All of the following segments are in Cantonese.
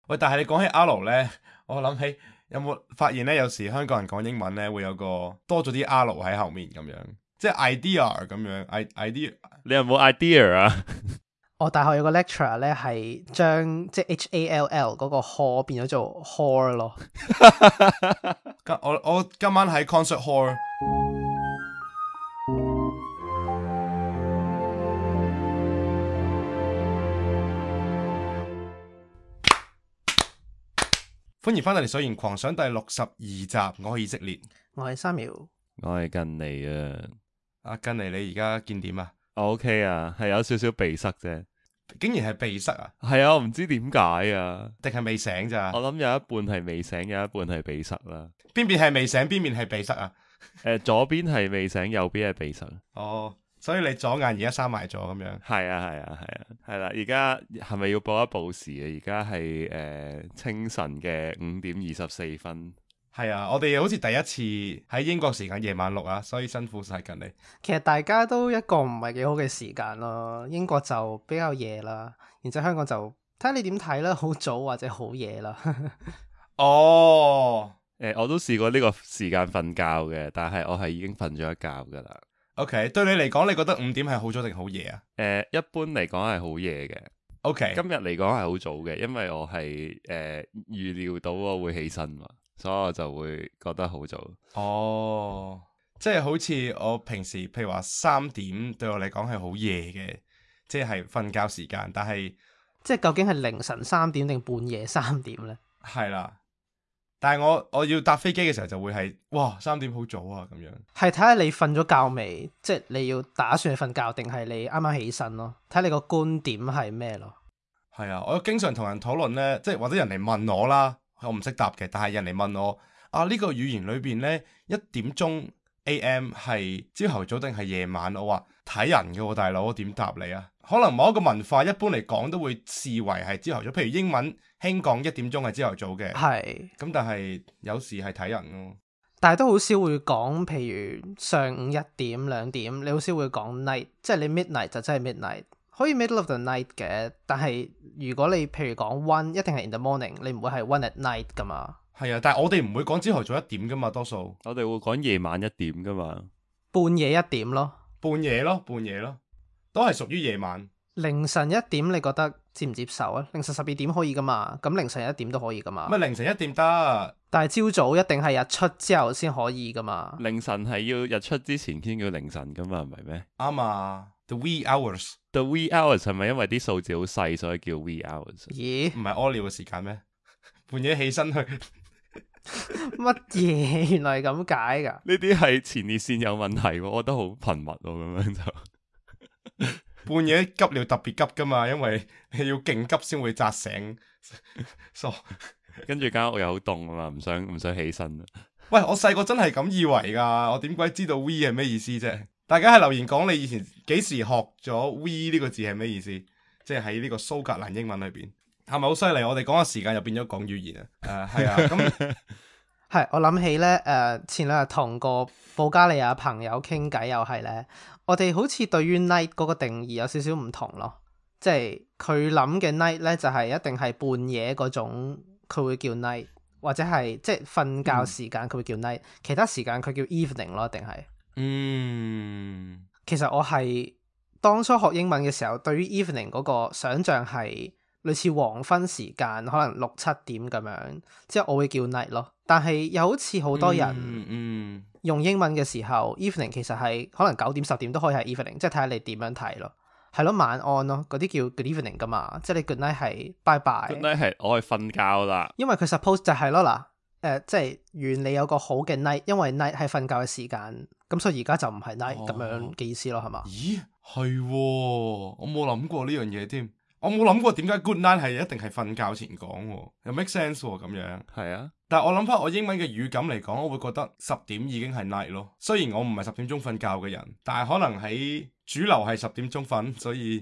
喂，但係你講起 R 咧，我諗起有冇發現咧？有時香港人講英文咧，會有個多咗啲 R 喺後面咁樣，即係 idea 咁樣，idea。你有冇 idea 啊？我大學有個 lecturer 咧，係將即係 HALL 嗰個 hall 變咗做 hall 咯。我今晚喺 concert hall。歡迎翻到嚟《水源狂想》第62集，我係以色列，我係3秒，我係近嚟啊。阿近嚟，你而家見點啊？我 OK 啊，係有少少鼻塞啫。竟然係鼻塞啊？係啊，我唔知點解啊，定係未醒咋？我諗有一半係未醒，有一半係鼻塞啦。邊邊係未醒，邊邊係鼻塞啊？左邊係未醒，右邊係鼻塞。哦，所以你左眼而家閂埋咗咁樣。係啊，係啊，係啊，係啦。而家係咪要報一報時啊？而家係清晨嘅5:24。係啊，我哋好似第一次喺英國時間夜晚錄啊，所以辛苦晒近你。其實大家都一個唔係幾好嘅時間咯。英國就比較夜啦，然之後香港就睇下你點睇啦，好早或者好夜啦。哦，我都試過呢個時間瞓覺嘅，但係我係已經瞓咗一覺噶啦。OK，對你嚟講，你覺得5點係好早定好夜啊？一般嚟講係好夜嘅。OK，今日嚟講係好早嘅，因為我係預料到我會起身嘛，所以我就會覺得好早。哦，即係好似我平時譬如話3點對我嚟講係好夜嘅，即係瞓覺時間，但係即係究竟係凌晨3點定半夜3點呢？係啦，但係我要搭飛機嘅時候就會係哇3點好早啊咁樣。係睇下你瞓咗覺未，即係你要打算去瞓覺定係你啱啱起身咯，睇下你個觀點係咩咯。係啊，我經常同人討論呢，即係或者人嚟問我啦，我唔識答嘅，但係人嚟問我啊，呢個語言裏邊呢，1點鐘 AM 係朝頭早定係夜晚？我話睇人嘅喎，大佬，我點答你啊？可能某一個文化一般嚟講都會視為係朝頭早，譬如英文興講1點鐘係朝頭早嘅，係咁但係有時係睇人咯。但係都好少會講，譬如上午1點2點，你好少會講 night，即係你 midnight 就真係 midnight，可以 middle of the night 嘅。但係如果你譬如講 one，一定係 in the morning，你唔會係 one at night 噶嘛。係啊，但係我哋唔會講朝頭早1點噶嘛，多數我哋會講夜晚1點噶嘛，半夜1點咯，半夜咯，都係屬於夜晚。凌晨1點你覺得接唔接受啊？凌晨12點可以噶嘛，咁凌晨1點都可以噶嘛。乜凌晨1點得？但係朝早一定係日出之後先可以噶嘛。凌晨係要日出之前先叫凌晨噶嘛，唔係咩？啱啊，the wee hours。 The wee hours 係咪因為啲數字好細所以叫 wee hours？咦？唔係屙尿嘅時間咩？半夜起身去乜嘢？原來係咁解噶？呢啲係前列腺有問題喎，我覺得好頻密喎，咁樣就半夜急尿特別急噶嘛，因為你要勁急先會扎醒。跟住間屋又好凍啊嘛，唔想起身啊。喂，我細個真係咁以為噶，我點鬼知道 we 係咩意思啫？大家喺留言講你以前幾時學咗 we 呢個字係咩意思？即係喺呢個蘇格蘭英文裏邊係咪好犀利？我哋講嘅時間又變咗講語言啊！係啊，咁係我諗起咧，前兩日同個保加利亞朋友傾偈又係咧，我哋好似對於 night 嗰個定義有少少唔同咯。即係佢諗嘅 night 咧，就係一定係半夜嗰種，佢會叫 night，或者係即係瞓覺時間佢會叫 night，其他時間佢叫 evening 咯，定係？其實我係當初學英文嘅時候，對於 evening 嗰個想像係類似黃昏時間，可能6、7點咁樣，之後我會叫 night 咯。但係又好似好多人用英文嘅時候，evening 其實係可能9點10點都可以係 evening，即係睇下你點樣睇咯。係咯，晚安咯，嗰啲叫 good evening 噶嘛，即係你 good night 係 bye bye。good night 係我係瞓覺啦，因為佢 suppose 就係咯嗱，即係願你有個好嘅 night，因為 night 係瞓覺嘅時間，咁所以而家就唔係 night 咁樣嘅意思咯，係嘛？咦，係喎，我冇諗過呢樣嘢添，我冇諗過點解 good night 係一定係瞓覺前講喎，又 make sense 喎咁樣。係啊，但係我諗翻我英文嘅語感嚟講，我會覺得10點已經係 night 咯。雖然我唔係10點鐘瞓覺嘅人，但係可能喺主流係10點鐘瞓，所以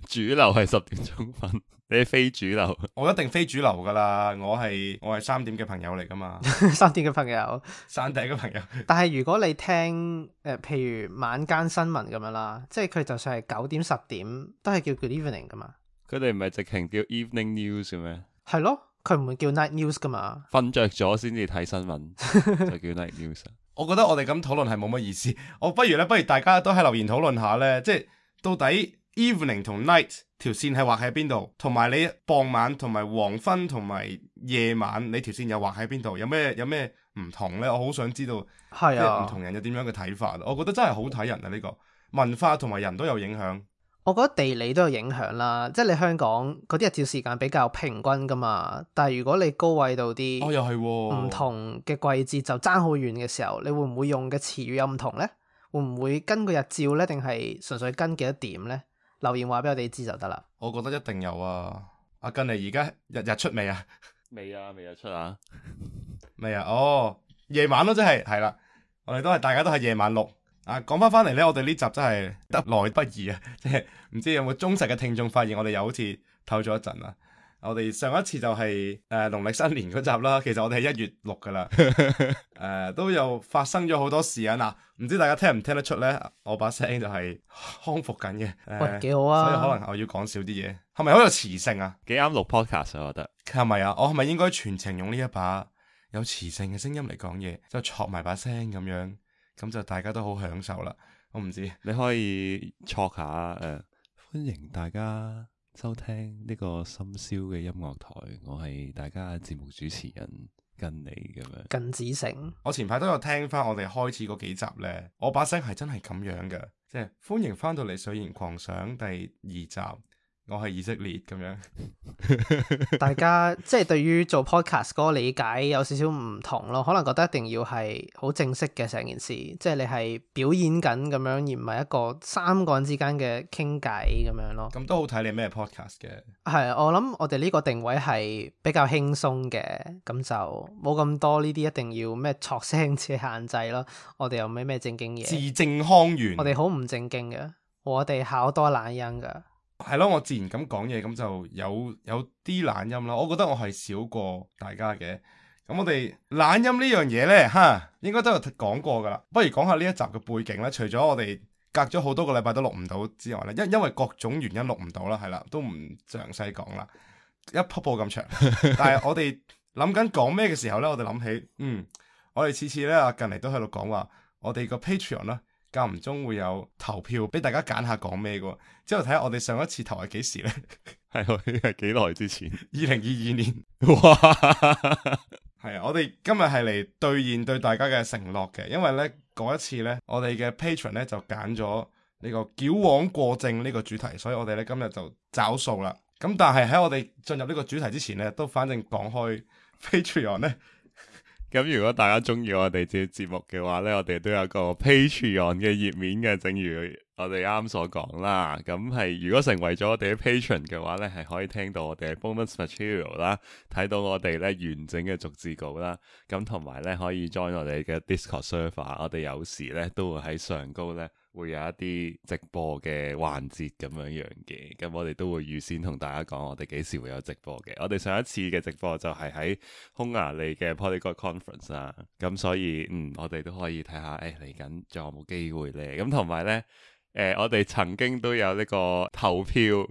主流係10點鐘瞓，你係非主流。我一定非主流噶啦，我係3點嘅朋友嚟噶嘛3點嘅朋友，山頂嘅朋友。但係如果你聽譬如晚間新聞咁樣啦，即係佢就算係9點10點都係叫 good evening 噶嘛。佢哋唔係直情叫 evening news 嘅咩？係咯，佢唔會叫 night news 噶嘛。瞓着咗先至睇新聞就叫 night news。我覺得我哋咁討論係冇乜意思，我不如大家都喺留言討論下呢，即係到底 evening 同 night 條線係畫喺邊度，同埋你傍晚同埋黃昏同埋夜晚你條線又畫喺邊度，有咩唔同呢？我好想知道，係啊，即係唔同人有點樣嘅睇法。我覺得真係好睇人啊，呢個文化同埋人都有影響。我覺得地理都有影響啦，即係你香港嗰啲日照時間比較平均噶嘛，但係如果你高緯度啲，又係喎，唔同嘅季節就爭好遠嘅時候，你會唔會用嘅詞語有唔同呢？會唔會跟個日照呢？定係純粹跟幾多點呢？留言話俾我哋知就得啦。我覺得一定有啊！阿近嚟而家日出未啊？未啊，未日出啊？未啊？哦，夜晚咯，真係啦，我哋大家都係夜晚錄。啊，講翻嚟呢，我哋呢集真係得來不易啊！即係唔知有冇忠實嘅聽眾發現我哋又好似唞咗一陣啦。我哋上一次就係農曆新年嗰集啦，其實我哋係1月錄噶啦。都有發生咗好多事啊！嗱，唔知大家聽唔聽得出呢？我把聲就係康復緊嘅。喂，幾好啊！所以可能我要講少啲嘢，係咪好有磁性啊？幾啱錄 podcast 啊，我覺得係咪啊？我係咪應該全程用呢一把有磁性嘅聲音嚟講嘢，就戳埋把聲咁樣？咁就大家都好享受啦，我唔知你可以戳下歡迎大家收聽呢個深宵嘅音樂台，我係大家節目主持人跟你咁樣。近子城，我前排都有聽翻我哋開始嗰幾集呢，我把聲係真係咁樣嘅，即係歡迎翻到嚟《水言狂想》第2集。我係以色列咁樣，大家即係對於做 podcast 嗰個理解有少少唔同咯，可能覺得一定要係好正式嘅成件事，即係你係表演緊咁樣，而唔係一個3個人之間嘅傾偈咁樣咯。咁都好睇你咩 podcast 嘅。係，我諗我哋呢個定位係比較輕鬆嘅，咁就冇咁多呢啲一定要咩錯聲嘅限制咯。我哋又咩正經嘢，字正腔圓。我哋好唔正經嘅，我哋考多懶音噶。係咯，我自然咁講嘢，咁就有啲懶音啦。我覺得我係少過大家嘅。咁我哋懶音呢樣嘢呢，應該都有講過噶啦。不如講下呢一集嘅背景啦。除咗我哋隔咗好多個禮拜都錄唔到之外呢，因為各種原因錄唔到啦，係啦，都唔詳細講啦，一瀑布咁長。但係我哋諗緊講咩嘅時候呢，我哋諗起，我哋次次呢，近嚟都喺度講話，我哋個 Patreon 啦。間唔中會有投票俾大家揀下講咩嘅，之後睇下我哋上一次投係幾時呢？係幾耐之前？2022年。哇！係啊，我哋今日係嚟兌現對大家嘅承諾嘅，因為呢嗰一次呢，我哋嘅 Patron 呢就揀咗呢個矯枉過正呢個主題，所以我哋呢今日就找數啦。咁但係喺我哋進入呢個主題之前呢，都反正講開 Patreon 呢。咁如果大家中意我哋節目嘅話呢，我哋都有個 Patreon 嘅頁面嘅，正如我哋啱所講啦。咁係如果成為咗我哋嘅 Patron 嘅話呢，係可以聽到我哋嘅 bonus material 啦，睇到我哋呢完整嘅逐字稿啦。咁同埋呢可以 join 我哋嘅 Discord server，我哋有時呢都會喺上高呢會有一啲直播嘅環節咁樣樣嘅。咁我哋都會預先同大家講我哋幾時會有直播嘅。我哋上一次嘅直播就係喺匈牙利嘅 Polyglot Conference 啦。咁所以我哋都可以睇下嚟緊仲有冇機會呢。咁同埋呢我哋曾經都有呢個投票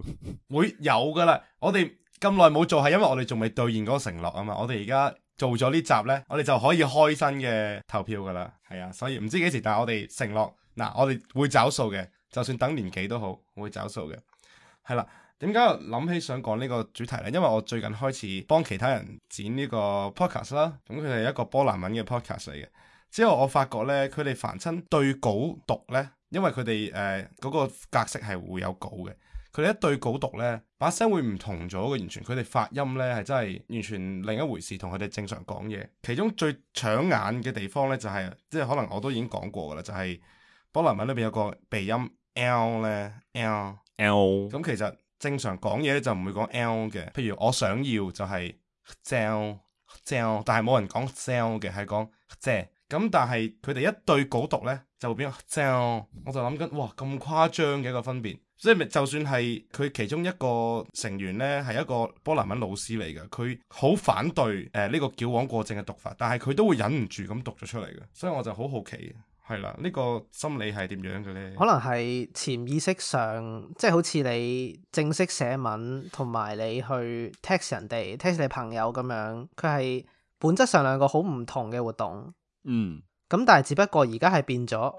會有噶啦。我哋咁耐冇做係因為我哋仲未兌現嗰個承諾啊嘛。我哋而家做咗呢集呢，我哋就可以開新嘅投票噶啦。係啊，所以唔知幾時，但係我哋承諾嗱，我哋會找數嘅，就算等年幾都好，會找數嘅。係啦，點解我諗起想講呢個主題呢？因為我最近開始幫其他人剪呢個 podcast 啦，咁佢哋係一個波蘭文嘅 podcast 嚟嘅。之後我發覺呢，佢哋凡親對稿讀呢，因為佢哋嗰個格式係會有稿嘅，佢哋一對稿讀呢，把聲會唔同咗嘅，完全佢哋發音呢係真係完全另一回事，同佢哋正常講嘢。其中最搶眼嘅地方呢，就係即係可能我都已經講過噶啦，就係波蘭文裏邊有個鼻音 L 呢 L， 咁其實正常講嘢咧就唔會講 L 嘅，譬如我想要就係 sell， 但係冇人講 sell 嘅，係講借。咁但係佢哋一對稿讀呢，就會變咗 sell， 我就諗緊，哇，咁誇張嘅一個分別。所以就算係佢其中一個成員呢，係一個波蘭文老師嚟嘅，佢好反對呢個矯枉過正嘅讀法，但係佢都會忍唔住咁讀咗出嚟嘅。所以我就好好奇，係啦，呢個心理係點樣嘅呢？可能係潛意識上，即係好似你正式寫文同埋你去 text 人哋、text 你朋友咁樣，佢係本質上兩個好唔同嘅活動。嗯，咁但係只不過而家係變咗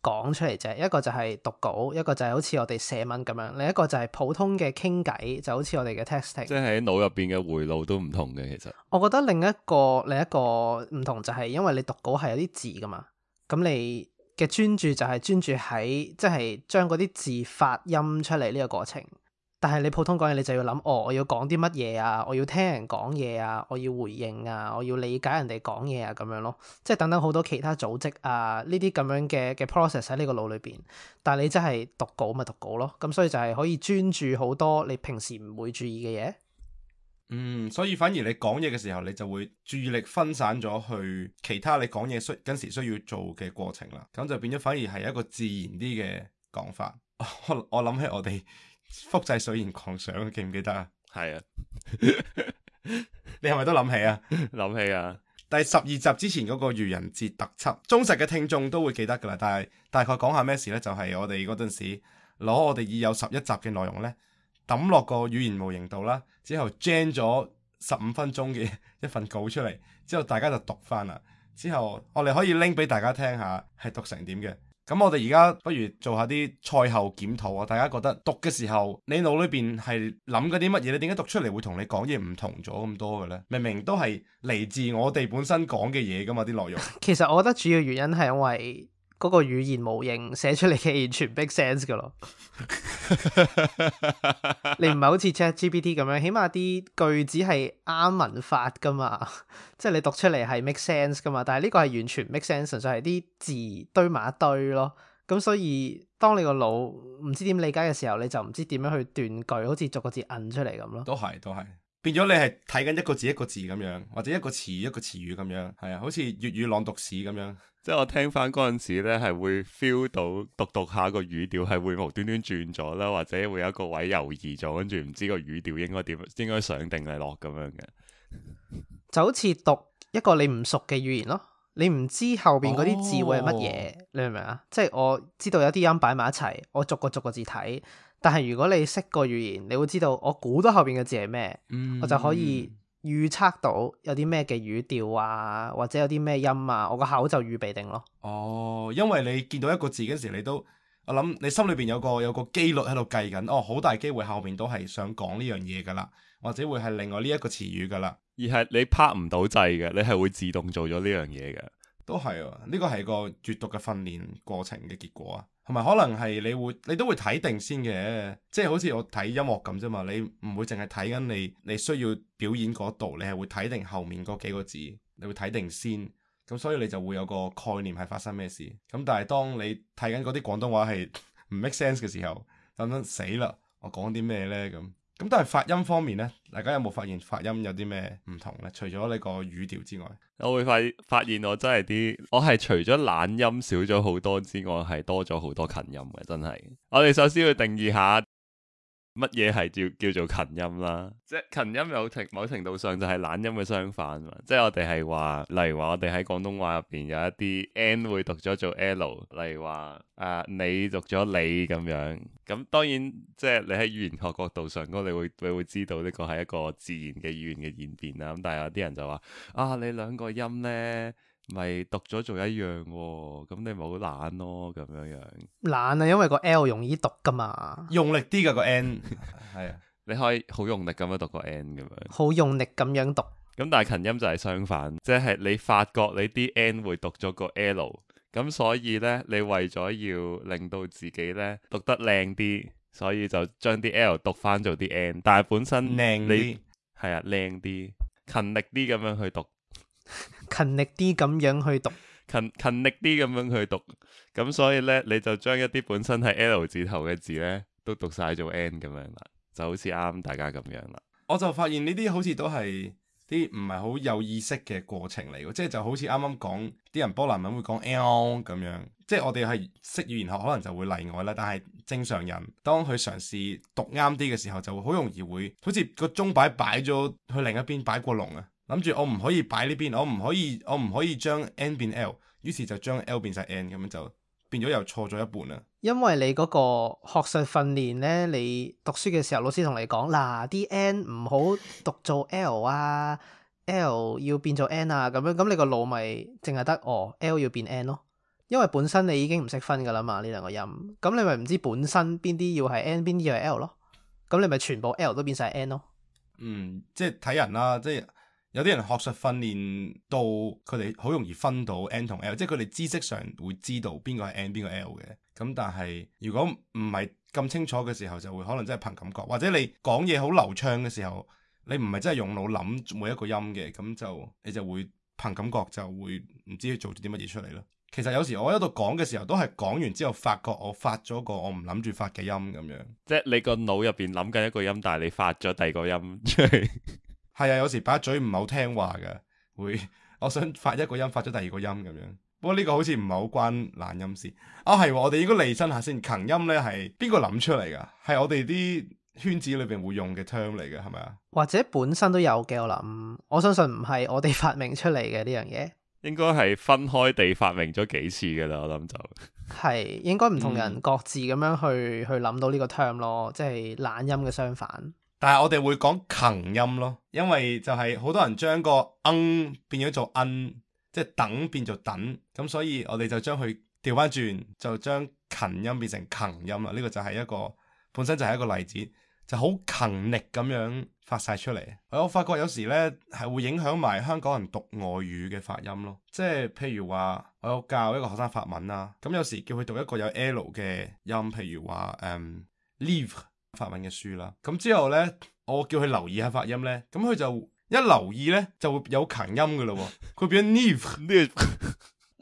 講出嚟啫，一個就係讀稿，一個就係好似我哋寫文咁樣，另一個就係普通嘅傾偈，就好似我哋嘅 texting。即係喺腦入邊嘅回路都唔同嘅，其實。我覺得另一個唔同就係因為你讀稿係有啲字噶嘛，咁你嘅專注就係專注喺即係將嗰啲字發音出嚟呢個過程。但係你普通講嘢，你就要諗，我要講啲乜嘢啊，我要聽人講嘢啊，我要回應啊，我要理解人哋講嘢啊，咁樣咯，即係等等好多其他組織啊，呢啲咁樣嘅 process 喺呢個腦裏邊。但係你真係讀稿咪讀稿咯，咁所以就係可以專注好多你平時唔會注意嘅嘢。所以反而你講嘢嘅時候，你就會注意力分散咗去其他你講嘢嗰時需要做嘅過程啦，咁就變咗反而係一個自然啲嘅講法。我諗起我哋複製水言狂想，記唔記得啊？係啊，你係咪都諗起啊？諗起啊，第12集之前嗰個愚人節特輯，忠實嘅聽眾都會記得噶啦。但係大概講下咩事呢？就係我哋嗰陣時攞我哋已有11集嘅內容呢，抌落個語言模型度啦，之後 gen 咗15分鐘嘅一份稿出嚟，之後大家就讀翻啦。之後我哋可以拎俾大家聽下係讀成點嘅。咁我哋而家不如做下啲賽後檢討啊！大家覺得讀嘅時候，你腦裏邊係諗緊啲乜嘢？你點解讀出嚟會同你講嘢唔同咗咁多嘅呢？明明都係嚟自我哋本身講嘅嘢噶嘛，啲內容。其實我覺得主要原因係因為嗰個語言模型寫出嚟嘅完全 make sense 噶咯。你唔係好似 ChatGPT 咁樣，起碼啲句子係啱文法噶嘛，即係你讀出嚟係 make sense 噶嘛。但係呢個係完全 make sense，純粹係啲字堆埋一堆咯。咁所以當你個腦唔知點理解嘅時候，你就唔知點樣去斷句，好似逐個字摁出嚟咁咯。都係變咗你係睇緊一個字一個字咁樣，或者一個詞一個詞語咁樣，係啊，好似粵語朗讀史咁樣。即係我聽翻嗰陣時咧，係會 feel 到讀下個語調係會無端端轉咗啦，或者會有一個位猶豫咗，跟住唔知個語調應該點，應該上定係落咁樣嘅。就好似讀一個你唔熟嘅語言咯，你唔知後邊嗰啲字會係乜嘢，你明唔明啊？即係我知道有啲音擺埋一齊，我逐個字睇。但係如果你識個語言，你會知道我估到後邊嘅字係咩，我就可以預測到有啲咩嘅語調啊，或者有啲咩音啊，我個口就預備定咯。因為你見到一個字嗰時，我諗你心裏邊有個機率喺度計緊，好大機會後面都係想講呢樣嘢噶啦，或者會係另外呢一個詞語噶啦，而係你拍唔到掣嘅，你係會自動做咗呢樣嘢嘅。都係啊，呢個係個閱讀嘅訓練過程嘅結果啊，同埋可能係你都會睇定先嘅，即係好似我睇音樂咁啫嘛，你唔會淨係睇緊你需要表演嗰度，你係會睇定後面嗰幾個字，你會睇定先，咁所以你就會有個概念係發生咩事。咁但係當你睇緊嗰啲廣東話係唔 make sense 嘅時候，咁死啦，我講啲咩呢？咁但係發音方面呢，大家有冇發現發音有啲咩唔同呢？除咗你個語調之外，我會發現我真係我係除咗懶音少咗好多之外，係多咗好多近音嘅，真係。我哋首先要定義下乜嘢係叫做近音啦，即係近音某程度上就係懶音嘅相反嘛。即係我哋係話，例如話我哋喺廣東話入邊有一啲 N 會讀咗做 L， 例如話你讀咗你咁樣。咁當然即係你喺語言學角度上，你會知道呢個係一個自然嘅語言嘅演變啦。咁但係有啲人就話你兩個音呢咪讀咗做一樣喎，咁你咪好懶咯咁樣。懶啊，因為個 L 容易讀噶嘛，用力啲㗎個 N 係啊，你可以好用力咁樣讀個 N 咁樣，好用力咁樣讀。咁但係近音就係相反，即係你發覺你啲 N 會讀咗個 L， 咁所以呢，你為咗要令到自己呢讀得靚啲，所以就將啲 L 讀翻做啲 N， 但係本身靚啲，係啊，靚啲，勤力啲咁樣去讀。勤力啲咁樣去讀，勤力啲咁樣去讀，咁所以呢，你就將一啲本身係 L 字頭嘅字呢，都讀晒做 N 咁樣啦，就好似啱大家咁樣啦。我就發現呢啲好似都係啲唔係好有意識嘅過程嚟嘅，即係就好似啱啱講啲人波蘭文會講 L 咁樣，即係我哋係識語言學可能就會例外啦，但係正常人當佢嘗試讀啱啲嘅時候，就好容易會好似個鐘擺咗去另一邊擺過龍啊。諗住我唔可以擺呢邊，我唔可以將 N 變 L，於是就將 L 變晒 N 咁樣就變咗又錯咗一半啦。因為你嗰個學術訓練咧，你讀書嘅時候老師同你講嗱，啲 N 唔好讀做 L 啊，L 要變做 N 啊咁樣，咁你個腦咪淨係得L 要變 N 咯。因為本身你已經唔識分噶啦嘛呢兩個音，咁你咪唔知本身邊啲要係 N 邊啲要係 L 咯，咁你咪全部 L 都變晒 N 咯。即係睇人啦，即係有啲人學術訓練到佢哋好容易分到 N 同 L，即係佢哋知識上會知道邊個係 N 邊個 L 嘅。咁但係如果唔係咁清楚嘅時候，就會可能真係憑感覺，或者你講嘢好流暢嘅時候，你唔係真係用腦諗每一個音嘅，咁就你就會憑感覺就會唔知做咗啲乜嘢出嚟咯。其實有時我喺度講嘅時候，都係講完之後發覺我發咗個我唔諗住發嘅音咁樣。即係你個腦入邊諗緊一個音，但係你發咗第二個音出嚟。係啊，有時把嘴唔係好聽話嘅，會我想發一個音，發咗第二個音咁樣。不過呢個好似唔係好關懶音事。係我哋應該釐清下先。強音呢係邊個諗出嚟㗎？係我哋啲圈子裏邊會用嘅 term 嚟嘅，係咪啊？或者本身都有嘅，我相信唔係我哋發明出嚟嘅呢樣嘢。應該係分開地發明咗幾次㗎啦，我諗就係應該唔同人各自咁樣去諗到呢個 term 咯，即係懶音嘅相反。但係我哋會講強音咯，因為就係好多人將個變咗做即係等變做等，咁所以我哋就將佢調翻轉，就將勤音變成強音啦。呢個就係一個本身就係一個例子，就好勤力咁樣發晒出嚟。我發覺有時呢係會影響埋香港人讀外語嘅發音咯，即係譬如話我有教一個學生法文啦，咁有時叫佢讀一個有 L 嘅音，譬如話livre 法文嘅書啦，咁之後呢，我叫佢留意下發音呢，咁佢就一留意呢，就會有強音噶啦，佢變咗 livre，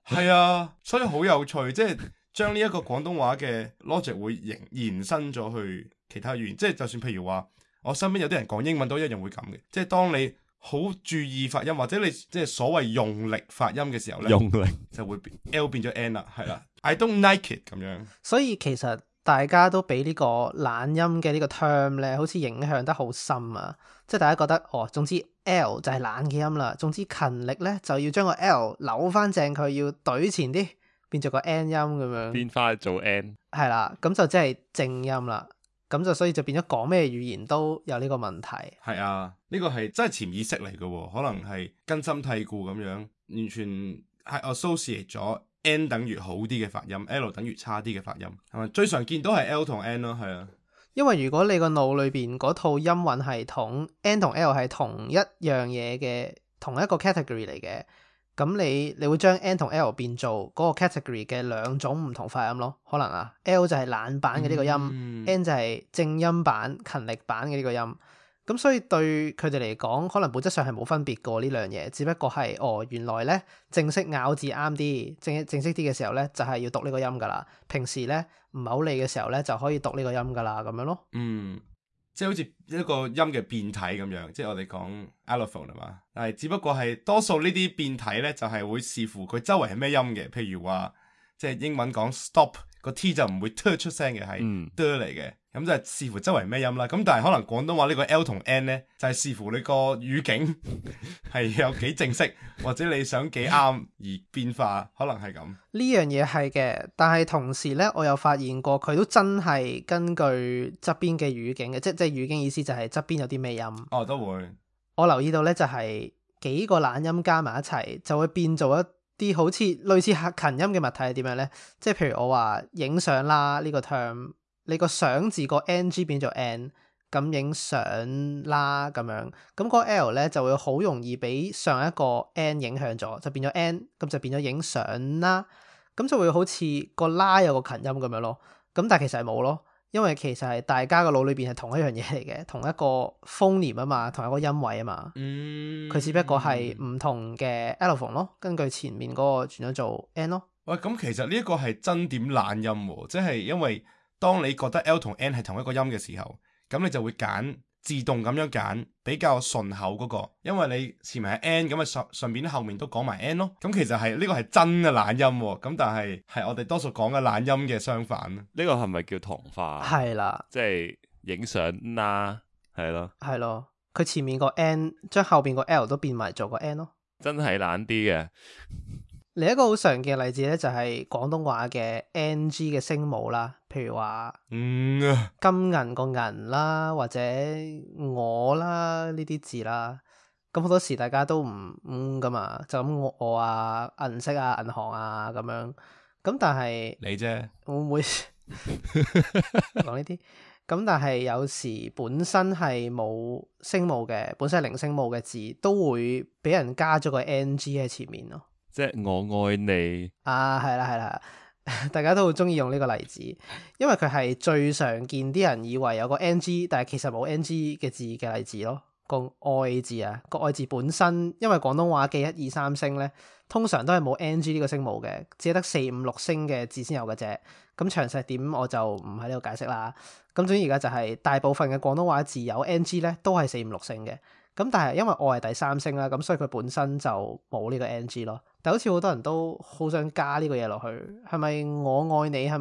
係啊，所以好有趣，即係將呢一個廣東話嘅 logic 會延伸咗去其他語言，即係就算譬如話我身邊有啲人講英文都一樣會咁嘅，即係當你好注意發音或者你即係所謂用力發音嘅時候呢，用力就會 L 變咗 N 啦，係啦，I don't like it 咁樣。所以其實大家都俾呢個懶音嘅呢個 term 咧，好似影響得好深啊！即係大家覺得總之 L 就係懶嘅音啦，總之勤力咧就要將個 L 扭翻正佢，要懟前啲，變做個 N 音咁樣，變翻做 N，係啦，咁就即係正音啦。咁就所以就變咗講咩語言都有呢個問題。係啊，呢個係真係潛意識嚟嘅喎，可能係根深蒂固咁樣，完全係 associate 咗 N 等於好啲嘅發音 ，L 等於差啲嘅發音，係咪？最常見都係 L 同 N 咯，係啊。因為如果你個腦裏邊嗰套音韻系統 N 同 L 係同一樣嘢嘅，同一個 category 嚟嘅，咁你會將 N 同 L 變做嗰個 category 嘅兩種唔同發音咯。可能L 就係懶版嘅呢個音，N 就係正音版勤力版嘅呢個音。咁所以對佢哋嚟講，可能本質上係冇分別過呢兩嘢，只不過係原來咧正式咬字啱啲，正式啲嘅時候咧就係要讀呢個音噶啦。平時咧唔係好理嘅時候咧就可以讀呢個音噶啦，咁樣咯。即係好似一個音嘅變體咁樣，即係我哋講 allophone 係嘛，但係只不過係多數呢啲變體咧就係會視乎佢周圍係咩音嘅，譬如話即係英文講 stop 個 T 就唔會 t 出聲嘅，係 d 嚟嘅。咁就係視乎周圍咩音啦，咁但係可能廣東話呢個 L 同 N 呢，就係視乎你個語境係有幾正式，或者你想幾啱而變化，可能係咁。呢樣嘢係嘅，但係同時呢，我有發現過佢都真係根據側邊嘅語境嘅，即係語境意思就係側邊有啲咩音。都會。我留意到呢，就係幾個懶音加埋一齊，就會變做一啲好似類似勤音嘅物體係點樣呢？即係譬如我話影相啦呢個 term。你個相字個 NG 變做 N， 咁影相啦咁樣，咁個 L 咧就會好容易俾上一個 N 影響咗，就變咗 N， 咁就變咗影相啦，咁就會好似個啦有個勤音咁樣咯，咁但係其實係冇咯，因為其實係大家個腦裏邊係同一樣嘢嚟嘅，同一個 phoneme 啊嘛，同一個音位啊嘛，佢只不過係唔同嘅 allophone 咯，根據前面嗰個轉咗做 N 咯。喂，咁其實呢一個係真點懶音喎，即係因為當你覺得 L 同 N 係同一個音嘅時候，咁你就會揀自動咁樣揀比較順口嗰個，因為你前面係 N 咁啊，順便後面都講埋 N 咯。咁其實係呢個係真嘅懶音喎，咁但係我哋多數講嘅懶音嘅相反。呢個係咪叫同化？係啦，即係影相啦，係咯，係咯，佢前面個 N 將後邊個 L 都變埋做個 N 咯，真係懶啲嘅。另一個好常見嘅例子咧，就係廣東話嘅 NG 嘅聲母啦，譬如話金銀個銀啦，或者我啦呢啲字啦。咁好多時大家都唔噶嘛，就咁我啊、銀色啊、銀行啊咁樣。咁但係你啫，會唔會講呢啲？咁但係有時本身係冇聲母嘅，本身係零聲母嘅字，都會俾人加咗個 NG 喺前面咯。即係我愛你啊，係啦係啦，大家都好中意用呢個例子，因為佢係最常見啲人以為有個 NG，但係其實冇 NG 嘅字嘅例子咯。個愛字啊，個愛字本身，因為廣東話嘅一二三聲咧，通常都係冇 NG 呢個聲母嘅，只係得四五六聲嘅字先有嘅啫。咁詳細點我就唔喺呢度解釋啦。咁總之而家就係大部分嘅廣東話字有 NG 咧，都係四五六聲嘅。咁但係因為我係第三聲啦，咁所以佢本身就冇呢個 NG 咯。但好似好多人都好想加呢個嘢落去，係咪我愛你？係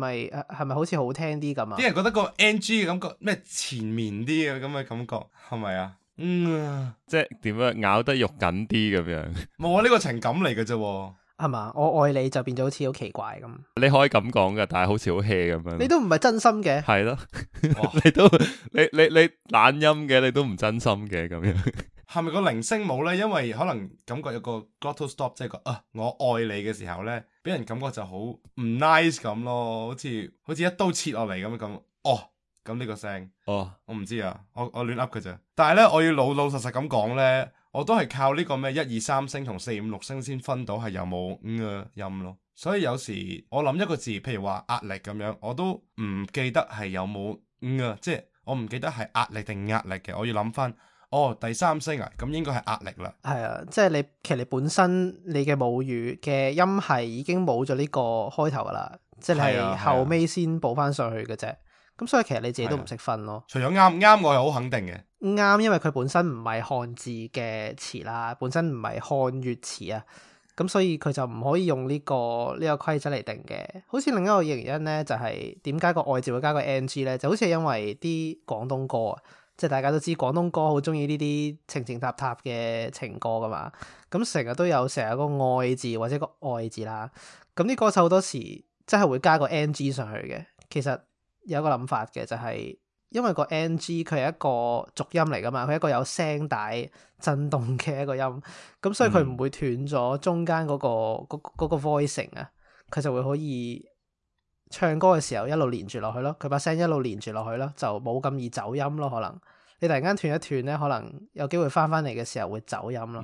咪好似好聽啲咁啊？啲人覺得個 NG 嘅感覺咩前面啲嘅咁嘅感覺係咪啊？即係點樣咬得肉緊啲咁樣？冇啊，呢個情感嚟嘅啫。係嘛？我愛你就變咗好似好奇怪咁。你可以咁講噶，但係好似好 hea 咁樣。你都唔係真心嘅。係咯，你懶音嘅，你都唔真心嘅咁樣。係咪個零聲母咧？因為可能感覺有個 glottal stop，即係個我愛你嘅時候咧，俾人感覺就好唔 nice 咁咯，好似一刀切落嚟咁。咁呢個聲，我唔知啊，我亂噏嘅啫。但係咧，我要老老實實咁講咧，我都係靠呢個咩一二三聲同四五六聲先分到係有冇嘅音咯。所以有時我諗一個字，譬如話壓力咁樣，我都唔記得係有冇即係我唔記得係壓力定壓力嘅，我要諗翻。第三聲啊，咁應該係壓力啦。係啊，即係其實你本身你嘅母語嘅音係已經冇咗呢個開頭噶啦，即係你係後尾先補翻上去嘅啫。咁所以其實你自己都唔識分咯。除咗啱，我係好肯定嘅。啱，因為佢本身唔係漢字嘅詞啦，本身唔係漢粵詞啊，咁所以佢就唔可以用呢個規則嚟定嘅。好似另一個原因咧，就係點解個愛字會加個 NG 咧？就好似係因為啲廣東歌啊。即係大家都知廣東歌好中意呢啲情情塔塔嘅情歌噶嘛，咁成日都有成日個愛字或者個愛字啦，咁啲歌手好多時真係會加個 NG 上去嘅。其實有一個諗法嘅，就係因為個 NG 佢係一個濁音嚟噶嘛，佢係一個有聲帶震動嘅一個音，咁所以佢唔會斷咗中間嗰個 voicing 啊，佢就會可以唱歌嘅時候一路連住落去咯，佢把聲一路連住落去咯，就冇咁易走音咯。可能你突然間斷一斷咧，可能有機會翻嚟嘅時候會走音咯。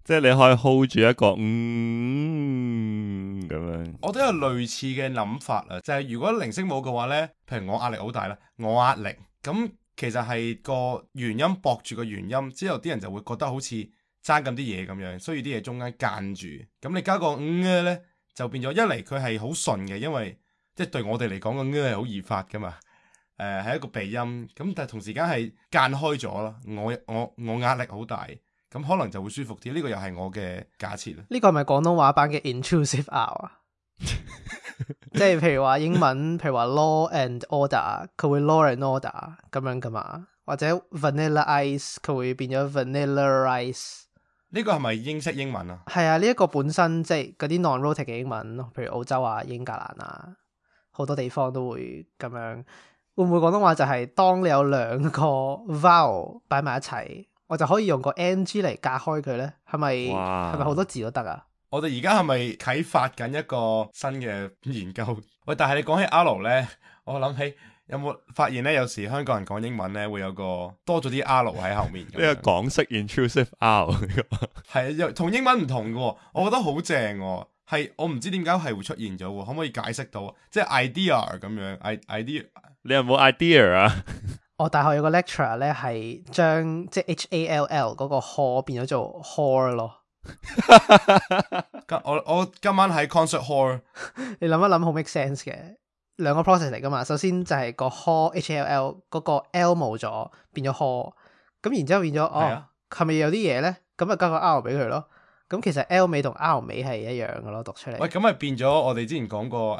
即係你可以 hold 住一個咁樣。我都有類似嘅諗法啊，就係如果零聲母嘅話咧，譬如我壓力好大啦，我壓力咁其實係個元音駁住個元音，之後啲人就會覺得好似爭咁啲嘢咁樣，需要啲嘢中間間住。咁你加個咧，就變咗一嚟佢係好順嘅，因為即係對我哋嚟講個係好易發噶嘛，係一個鼻音，咁但係同時間係間開咗咯。我壓力好大，咁可能就會舒服啲。呢個又係我嘅假設啦。呢個係咪廣東話版嘅 intrusive R 啊？即係譬如話英文，譬如話 law and order， 佢會 law and order 咁樣噶嘛？或者 vanilla ice 佢會變咗 vanilla rice。呢個係咪英式英文啊？係啊，呢一個本身即係嗰啲 non-rhotic 嘅英文，譬如澳洲啊、英格蘭啊，好多地方都會咁樣。會唔會廣東話就係當你有兩個 vowel 擺埋一齊，我就可以用個 NG 嚟隔開佢咧？係咪好多字都得啊？我哋而家係咪啟發緊一個新嘅研究？喂，但係你講起 R 咧，我諗起有冇發現咧？有時香港人講英文咧，會有個多咗啲 R 喺後面。呢個港式 intrusive R 係同英文唔同嘅，我覺得好正。係我唔知點解係會出現咗，可唔可以解釋到？即係 idea 咁樣，idea。你有冇 idea 啊？我大學有個 lecturer 咧，係將即係 HALL 嗰個 hall 變咗做 hall 咯。我今晚喺 concert hall。你諗一諗好 make sense 嘅，兩個 process 嚟噶嘛。首先就係個 hall HALL 嗰個 L 冇咗，變咗 hall。咁然之後變咗係咪有啲嘢咧？咁啊加個 R 俾佢咯。咁其實 L 尾同 R 尾係一樣嘅咯，讀出嚟。喂，咁咪變咗我哋之前講過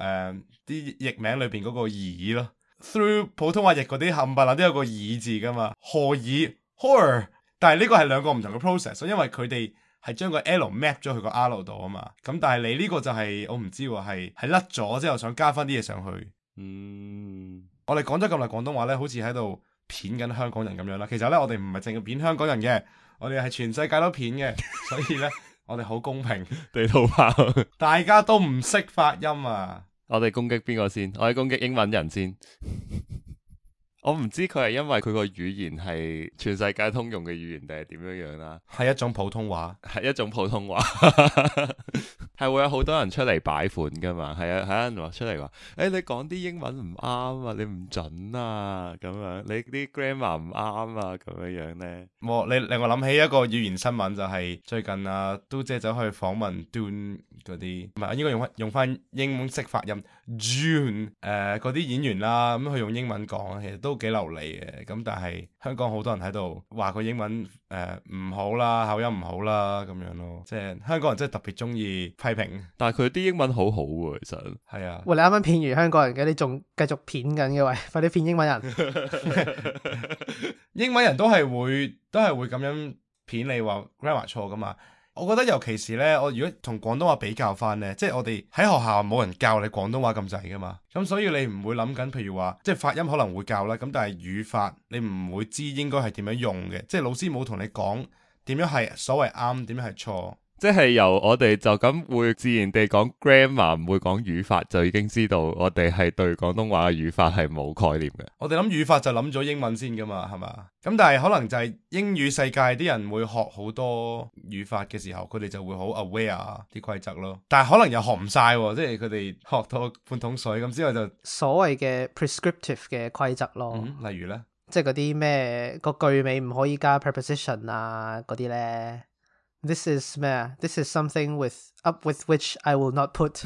啲譯名裏邊嗰個耳咯。Through 普通話譯嗰啲冚唪唥都有個耳字噶嘛，何耳 horror，但係呢個係兩個唔同嘅 process，因為佢哋係將個 L map 咗去個 R 度啊嘛。咁但係你呢個就係、我唔知喎，係甩咗之後想加翻啲嘢上去。我哋講咗咁耐廣東話咧，好似喺度片緊香港人咁樣啦。其實咧，我哋唔係淨係片香港人嘅，我哋係全世界都片嘅，所以咧我哋好公平。地圖炮，大家都唔識發音啊！我哋攻擊邊個先？我哋攻擊英文人先。我唔知佢係因為佢個語言係全世界通用嘅語言，定係點樣樣啦？係一種普通話，係一種普通話，係會有好多人出嚟擺款噶嘛？係啊，係有人話出嚟話，你講啲英文唔啱啊，你唔準啊，咁樣你啲 grammar 唔啱啊，咁樣樣咧。你令我諗起一個語言新聞，就係最近啊，嘟姐走去訪問 Dune 嗰啲，唔係應該用翻英文式發音 June 嗰啲演員啦，咁佢用英文講，其實都幾流利嘅。咁但係香港好多人喺度話佢英文唔好啦，口音唔好啦咁樣咯，即係香港人真係特別中意批評。但係佢啲英文好好喎，其實係啊。喂，你啱啱片完香港人嘅，你仲繼續片緊嘅喂，快啲片英文人。英文人都係會咁樣片你話 grammar 錯噶嘛。我覺得尤其是呢，我如果同廣東話比較翻呢，即係我哋喺學校冇人教你廣東話咁滯噶嘛，咁所以你唔會諗緊，譬如話即係發音可能會教啦，咁但係語法你唔會知應該係點樣用嘅，即係老師冇同你講點樣係所謂啱，點樣係錯。即係由我哋就咁會自然地講 grammar，唔會講語法，就已經知道我哋係對廣東話嘅語法係冇概念嘅。我哋諗語法就諗咗英文先噶嘛，係嘛？咁但係可能就係英語世界啲人會學好多語法嘅時候，佢哋就會好 aware 啲規則咯。但係可能又學唔晒，即係佢哋學到半桶水咁之後就所謂嘅 prescriptive 嘅規則咯。例如呢，即係嗰啲咩個句尾唔可以加 preposition 啊嗰啲呢。This is 咩啊 ？This is something up with which I will not put 。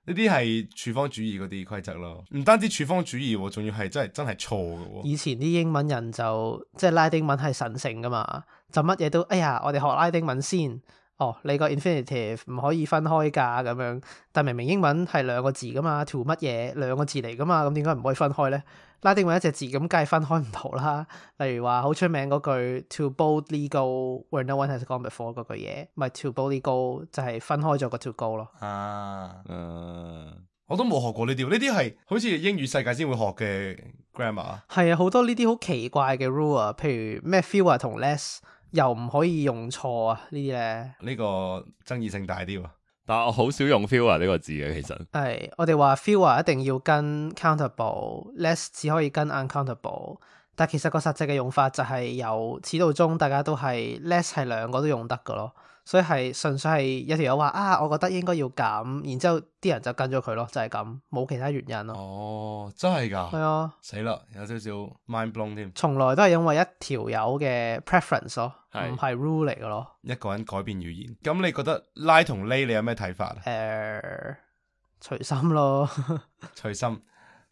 呢啲係處方主義嗰啲規則咯，唔單止處方主義喎，仲要係真係錯嘅喎。以前啲英文人就即係拉丁文係神聖噶嘛，就乜嘢都哎呀，我哋學拉丁文先。哦，你個 infinitive 唔可以分開㗎咁樣，但明明英文係兩個字噶嘛 to 乜嘢兩個字嚟噶嘛，咁點解唔可以分開呢？拉丁文一隻字咁，梗係分開唔到啦。例如話好出名嗰句 to boldly go where no one has gone before 嗰句嘢，咪 to boldly go 就係分開咗個 to go 咯。我都冇學過呢啲，呢啲係好似英語世界先會學嘅 grammar。係啊，好多呢啲好奇怪嘅 rule 啊，譬如咩 fewer 同 less 又唔可以用錯啊，呢啲咧。呢個爭議性大啲喎。但係我好少用 fewer 呢個字嘅，其實係我哋話 fewer 一定要跟 countable，less 只可以跟 uncountable。但其實個實際嘅用法就係由始到終大家都係 less 係兩個都用得㗎咯，所以係純粹係有條友話啊，我覺得應該要咁，然之後啲人就跟咗佢咯，就係咁，冇其他原因咯。哦，真係㗎？係啊，死啦，有少少 mind blown 添。從來都係因為一條友嘅 preference 咯，唔係 rule 嚟嘅咯。一個人改變語言，咁你覺得拉同 lay 你有咩睇法啊？隨心咯，隨心。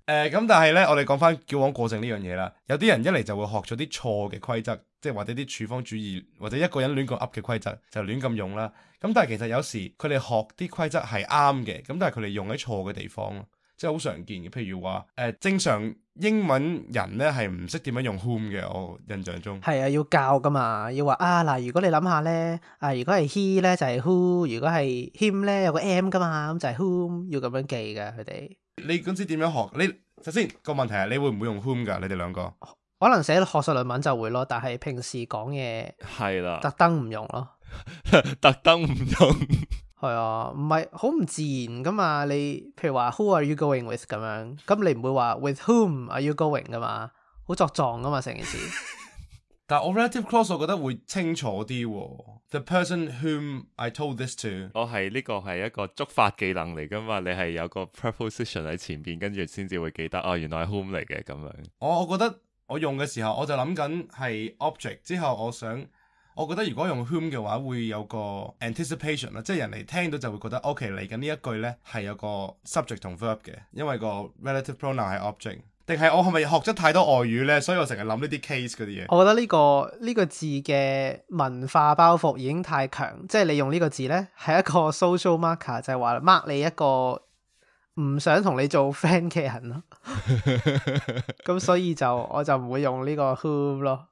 咁但係呢，我哋講翻矯枉過正呢樣嘢啦。有啲人一嚟就會學咗啲錯嘅規則，即係或者啲處方主義，或者一個人亂咁噏嘅規則就亂咁用啦。咁但係其實有時佢哋學啲規則係啱嘅，咁但係佢哋用喺錯嘅地方咯，即係好常見嘅。譬如話正常英文人呢係唔識點樣用 whom 嘅，我印象中係啊，要教噶嘛，要話啊嗱，如果你諗下呢，如果係 he 呢就係 who，如果係 him 呢有個 m 噶嘛，咁就係 whom，要咁樣記㗎佢哋。你嗰陣時點樣學？你首先個問題係你會唔會用 whom 㗎？你哋兩個可能寫學術論文就會咯，但係平時講嘢係啦，特登唔用咯，特登唔用。係啊，唔係好唔自然噶嘛。你譬如話 Who are you going with 咁樣，咁你唔會話 With whom are you going 噶嘛，好作狀噶嘛成件事。但係我 relative clause 我覺得會清楚啲喎。The person whom I told this to， 我係呢個係一個觸發技能嚟噶嘛，你係有個 preposition 喺前邊，跟住先至會記得哦，原來係 whom 嚟嘅咁樣。我覺得我用嘅時候，我就諗緊係 object 之後，我覺得如果用 whom 嘅話，會有個 anticipation 啦，即係人哋聽到就會覺得 OK 嚟緊呢一句呢係有個 subject 同 verb 嘅，因為個 relative pronoun 係 object。定係我係咪學咗太多外語呢？所以我成日諗呢啲 case 嗰啲嘢。我覺得呢個字嘅文化包袱已經太強，即係你用呢個字呢係一個 social marker，就係話 mark 你一個唔想同你做 friend 嘅人咯。咁所以我就唔會用呢個 whom 咯。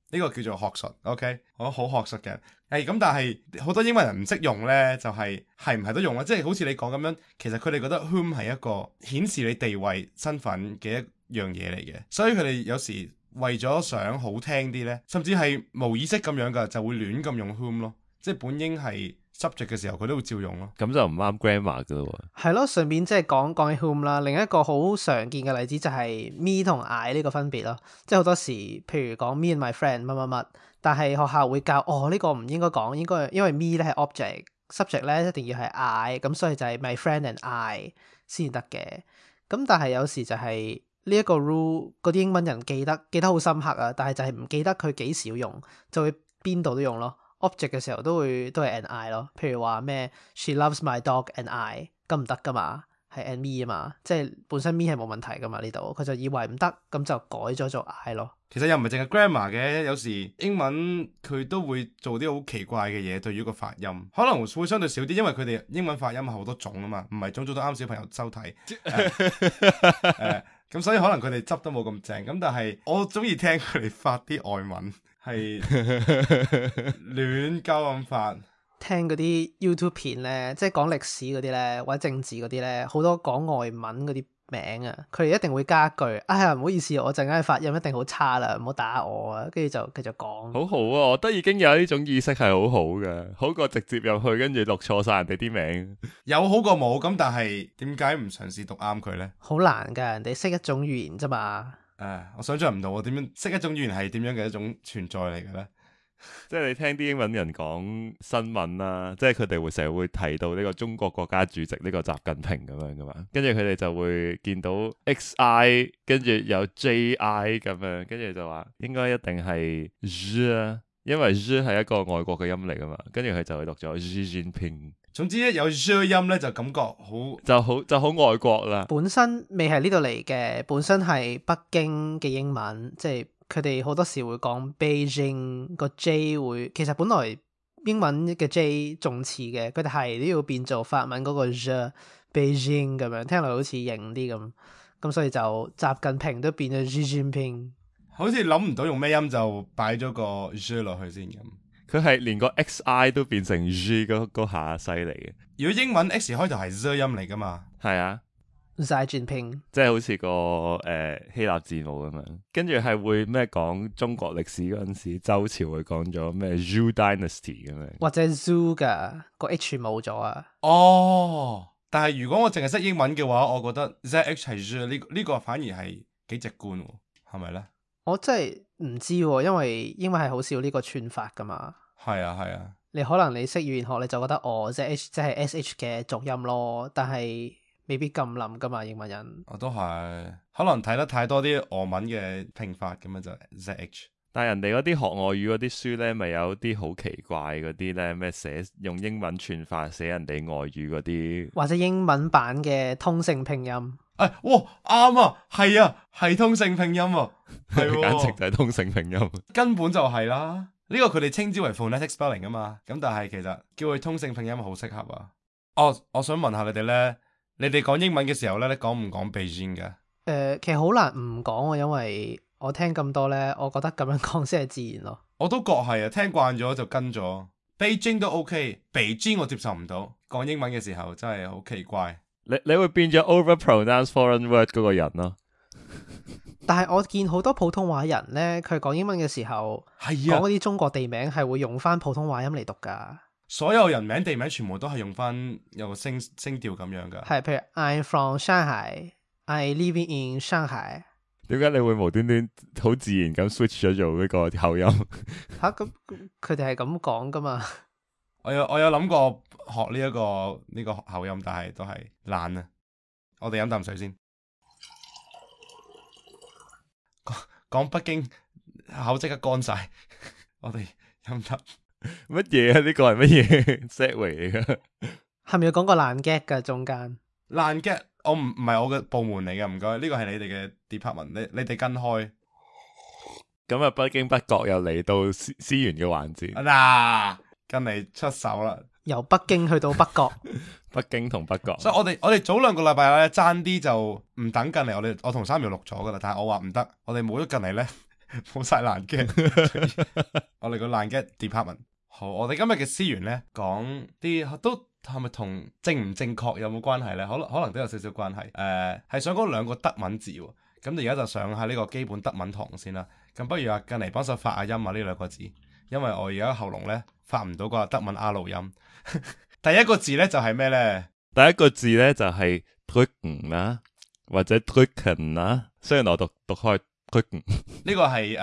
呢個叫做學術，OK，我好學術嘅。咁但係好多英文人唔識用呢，就係唔係都用啦？即係好似你講咁樣，其實佢哋覺得 whom 係一個顯示你地位身份嘅一樣嘢嚟嘅，所以佢哋有時為咗想好聽啲呢，甚至係無意識咁樣噶，就會亂咁用 whom 咯。即係本應係 subject 嘅時候，佢都會照用咯。咁就唔啱 grammar 噶咯喎。係咯，順便即係講起 whom 啦，另一個好常見嘅例子就係 me 同 I 呢個分別咯。即係好多時，譬如講 me and my friend 乜乜乜，但係學校會教呢個唔應該講，應該因為 me 咧係 object，subject 咧一定要係 I，咁所以就係 my friend and I 先得嘅。咁但係有時就係呢一個 rule，嗰啲英文人記得好深刻啊，但係就係唔記得佢幾時用，就會邊度都用咯。object 嘅時候都係 and I 咯，譬如話咩 She loves my dog and I， 咁唔得噶嘛，係 and me 啊嘛，即係本身 me 係冇問題噶嘛呢度，佢就以為唔得，咁就改咗做 I 咯。其實又唔係淨係 grammar 嘅，有時英文佢都會做啲好奇怪嘅嘢，對於個發音可能會相對少啲，因為佢哋英文發音係好多種啊嘛，唔係種種都啱小朋友收睇。咁所以可能佢哋執得冇咁正，咁但係我中意聽佢哋發啲外文係亂鳩咁發。聽嗰啲 YouTube 片咧，即係講歷史嗰啲咧，或者政治嗰啲咧，好多講外文嗰啲名啊，佢哋一定會加句，哎呀唔好意思，我陣間發音一定好差啦，唔好打我啊，跟住就繼續講。好好啊，我覺得已經有呢種意識係好好嘅，好過直接入去跟住錄錯晒人哋啲名。有好過冇，咁但係點解唔嘗試讀啱佢呢？好難噶，人哋識一種語言啫嘛。我想象唔到我點樣識一種語言係點樣嘅一種存在嚟嘅咧？即係你聽啲英文人講新聞啦，即係佢哋會成日會提到呢個中國國家主席呢個習近平咁樣噶嘛，跟住佢哋就會見到 XI 跟住有 JI 咁樣，跟住就話應該一定係 Z 啊，因為 Z 係一個外國嘅音嚟噶嘛，跟住佢就會讀咗 Xi Jinping。總之一有 Z 音咧，就感覺就好外國啦。本身未係呢度嚟嘅，本身係北京嘅英文，即係佢哋好多時會講 Beijing 個 J 會，其實本來英文嘅 J 仲似嘅，佢哋係都要變做法文嗰個 Z Beijing 咁樣，聽落好似型啲咁，咁所以就習近平都變咗 Xi Jinping，好似諗唔到用咩音就擺咗個 Z 落去先咁。佢係連個 XI 都變成 G 嗰下犀利嘅。如果英文 X 開頭係 Z 音嚟噶嘛？係啊 Xi Jinping，即係好似個希臘字母咁樣。跟住係會咩講中國歷史嗰陣時，周朝會講咗咩 Zhou Dynasty 咁樣，或者 Zoo 噶個 H 冇咗啊。哦，但係如果我淨係識英文嘅話，我覺得 ZH 係 Z 呢個反而係幾直觀喎，係咪咧？我真係唔知喎，因為英文係好少呢個串法噶嘛。係啊係啊，你可能你識語言學你就覺得ZH 即係 SH 嘅讀音咯，但係未必咁諗噶嘛，英文人。我都係，可能睇得太多啲俄文嘅拼法咁樣就 ZH。但係人哋嗰啲學外語嗰啲書咧，咪有啲好奇怪嗰啲咧，咩寫用英文串法寫人哋外語嗰啲，或者英文版嘅通勝拼音。哇啱啊，係啊，係通勝拼音啊，係簡直就係通勝拼音，根本就係啦。呢個佢哋稱之為 phonetic spelling 啊嘛，咁但係其實叫佢通勝拼音好適合啊。我想問下你哋咧，你哋講英文嘅時候咧，你講唔講 Beijing 嘅？其實好難唔講喎，因為我聽咁多咧，我覺得咁樣講先係自然咯。我都覺係啊，聽慣咗就跟咗。Beijing 都 OK， Beijing 我接受唔到。講英文嘅時候真係好奇怪。你會變咗 overpronounce foreign word 嗰個人咯。但係我見好多普通話人咧，佢講英文嘅時候，係啊，講嗰啲中國地名係會用翻普通話音嚟讀噶。所有人名地名全部都係用翻有個聲調咁樣噶。係，譬如 I'm from Shanghai，I living in Shanghai。點解你會無端端好自然咁 switch 咗做呢個口音？吓，咁佢哋係咁講噶嘛？我有諗過學呢個口音，但係都係懶啊。我哋飲啖水先。講北京口即刻乾晒，我哋飲啖乜嘢啊？呢個係乜嘢 set 嚟嘅？係咪要講個爛 gag 噶中間？爛 gag 我唔係我嘅部門嚟嘅，唔該，呢個係你哋嘅 department，你哋跟開。咁啊，不經不覺又嚟到思源嘅環節。嗱，跟嚟出手啦！由北京去到北角，北京同北角。所以我哋早2個禮拜咧爭啲就唔等近嚟，我同3秒錄咗噶啦，但係我話唔得，我哋冇咗近嚟咧，冇晒爛 gag。我哋個爛 gag department。好，我哋今日嘅資源呢，講啲都係咪同正唔正確有冇關係呢？可能都有少少關係。係想講兩個德文字喎。咁而家就上下呢個基本德文堂先啦。咁不如近嚟幫手發下音啊呢兩個字，因為我而家喉嚨呢，發唔到個德文 R 音。第一個字呢，就係咩呢？第一個字呢，就係 drücken 啦，或者 drücken 啦。雖然我讀開 drücken，呢個係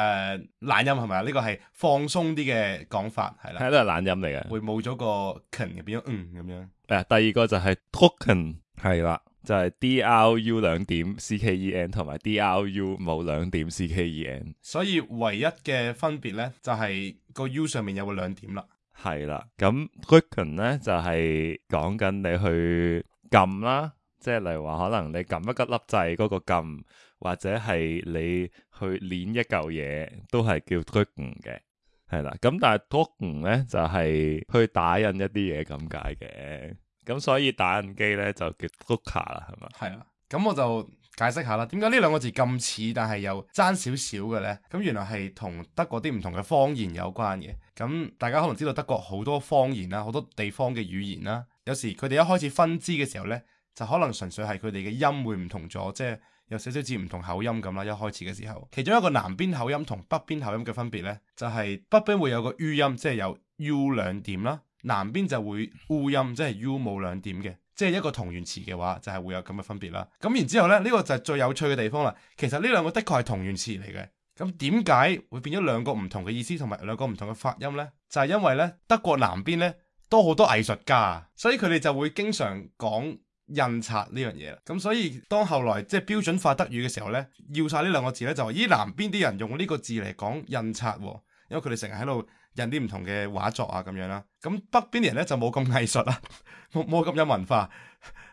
懶音係咪啊？呢個係放鬆啲嘅講法係啦，係都係懶音嚟嘅，會冇咗個 ken 變咗咁樣。第二個就係 drucken 係啦，就係 DRU 兩點 CKEN 同埋 DRU 冇兩點 CKEN。所以唯一嘅分別呢，就係個 U 上面有個兩點啦。係啦，咁 drücken 咧就係講緊你去撳啦，即係例如話可能你撳一粒掣嗰個撳，或者係你去捏一嚿嘢，都係叫 drücken 嘅，係啦。咁但係 drucken 咧就係去打印一啲嘢咁解嘅，咁所以打印機咧就叫 drucker 啦，係嘛？係啦，咁我就解釋下啦，點解呢兩個字咁似，但係又爭少少嘅呢？咁原來係同德國啲唔同嘅方言有關嘅。咁大家可能知道德國好多方言啦，好多地方嘅語言啦。有時佢哋一開始分支嘅時候呢，就可能純粹係佢哋嘅音會唔同咗，即係有少少似唔同口音咁啦。一開始嘅時候，其中一個南邊口音同北邊口音嘅分別呢，就係北邊會有個 U 音，即係有 U 兩點啦；南邊就會 U 音，即係 U 冇兩點嘅。即係一個同源詞嘅話，就係會有咁嘅分別啦。咁然之後咧，呢個就係最有趣嘅地方啦。其實呢兩個的確係同源詞嚟嘅。咁點解會變咗兩個唔同嘅意思同埋兩個唔同嘅發音呢？就係因為咧，德國南邊咧多好多藝術家，所以佢哋就會經常講印刷呢樣嘢啦。咁所以當後來即係標準化德語嘅時候咧，要晒呢兩個字咧，就話咦，南邊啲人用呢個字嚟講印刷喎，因為佢哋成日喺度印啲唔同嘅畫作啊咁樣啦。咁北邊啲人咧就冇咁藝術啦，冇咁有文化，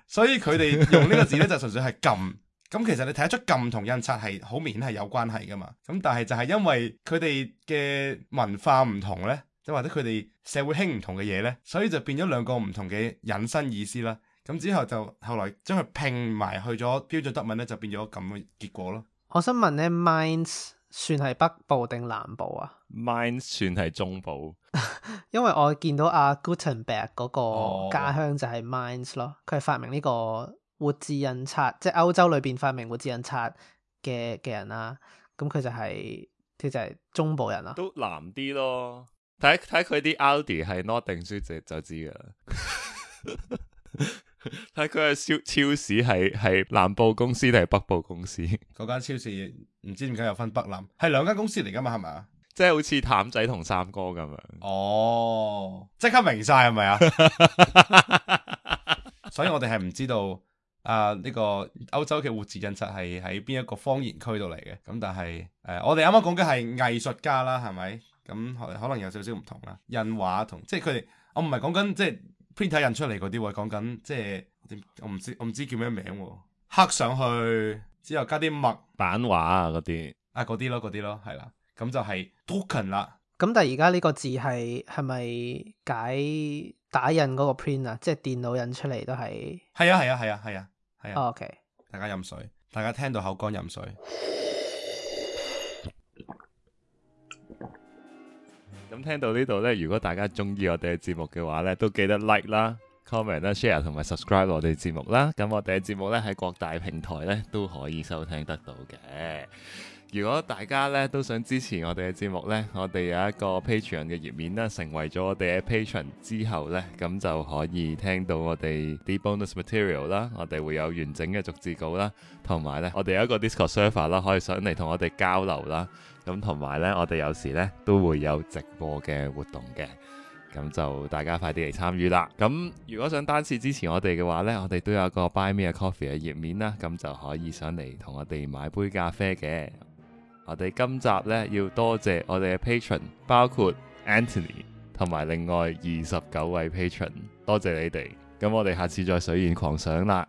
所以佢哋用呢個字咧就純粹係撳。咁其實你睇得出撳同印刷係好明顯係有關係噶嘛。咁但係就係因為佢哋嘅文化唔同咧，即或者佢哋社會興唔同嘅嘢咧，所以就變咗兩個唔同嘅引申意思啦。咁之後就後來將佢拼埋去咗標準德文咧，就變咗咁嘅結果咯。我想問咧，Mainz 算係北部定南部啊？Mainz 算係中部，因為我見到阿 Gutenberg 嗰個家鄉就係 Mainz 咯，佢係發明呢個活字印刷，即係歐洲裏邊發明活字印刷嘅人啦。咁佢就係中部人啦，都南啲咯。睇佢啲 Aldi 係 Nord 定 Süd 就知噶啦。睇佢嘅超市係南部公司定係北部公司？嗰間超市唔知點解有分北南，係兩間公司嚟噶嘛？係咪啊？即係好似譚仔同三哥咁樣。哦，即刻明晒係咪啊？所以我哋係唔知道呢個歐洲嘅活字印刷係喺邊一個方言區度嚟嘅。咁但係我哋啱啱講嘅係藝術家啦，係咪？咁可能有少少唔同啦。印畫同即係佢哋，我唔係講緊即係 printer 印出嚟嗰啲喎，講緊即係我唔知叫咩名喎，刻上去之後加啲墨版畫啊嗰啲嗰啲咯，係啦，咁就係 drucken 啦。咁但係而家呢個字係咪解打印嗰個 print 啊？即係電腦印出嚟都係？係啊。OK，大家飲水，大家聽到口乾飲水。咁聽到呢度呢，如果大家中意我哋嘅節目嘅話呢，都記得 like 啦、comment 啦、share 同埋 subscribe 我哋節目啦。咁我哋嘅節目呢，喺各大平台呢都可以收聽得到嘅。如果大家呢都想支持我哋嘅節目呢，我哋有一個 Patreon 嘅頁面啦，成為咗我哋嘅 Patron 之後呢，咁就可以聽到我哋啲 bonus material 啦，我哋會有完整嘅逐字稿啦，同埋呢，我哋有一個 Discord server 啦，可以上嚟同我哋交流啦。咁同埋呢，我哋有時呢都會有直播嘅活動嘅。咁就大家快啲嚟參與啦！咁如果想單次支持我哋嘅話呢，我哋都有個 Buy Me a Coffee 嘅頁面啦，咁就可以上嚟同我哋買杯咖啡嘅。我哋今集呢要多謝我哋嘅 Patron， 包括 Anthony 同埋另外29位 Patron， 多謝你哋。咁我哋下次再水源狂想啦。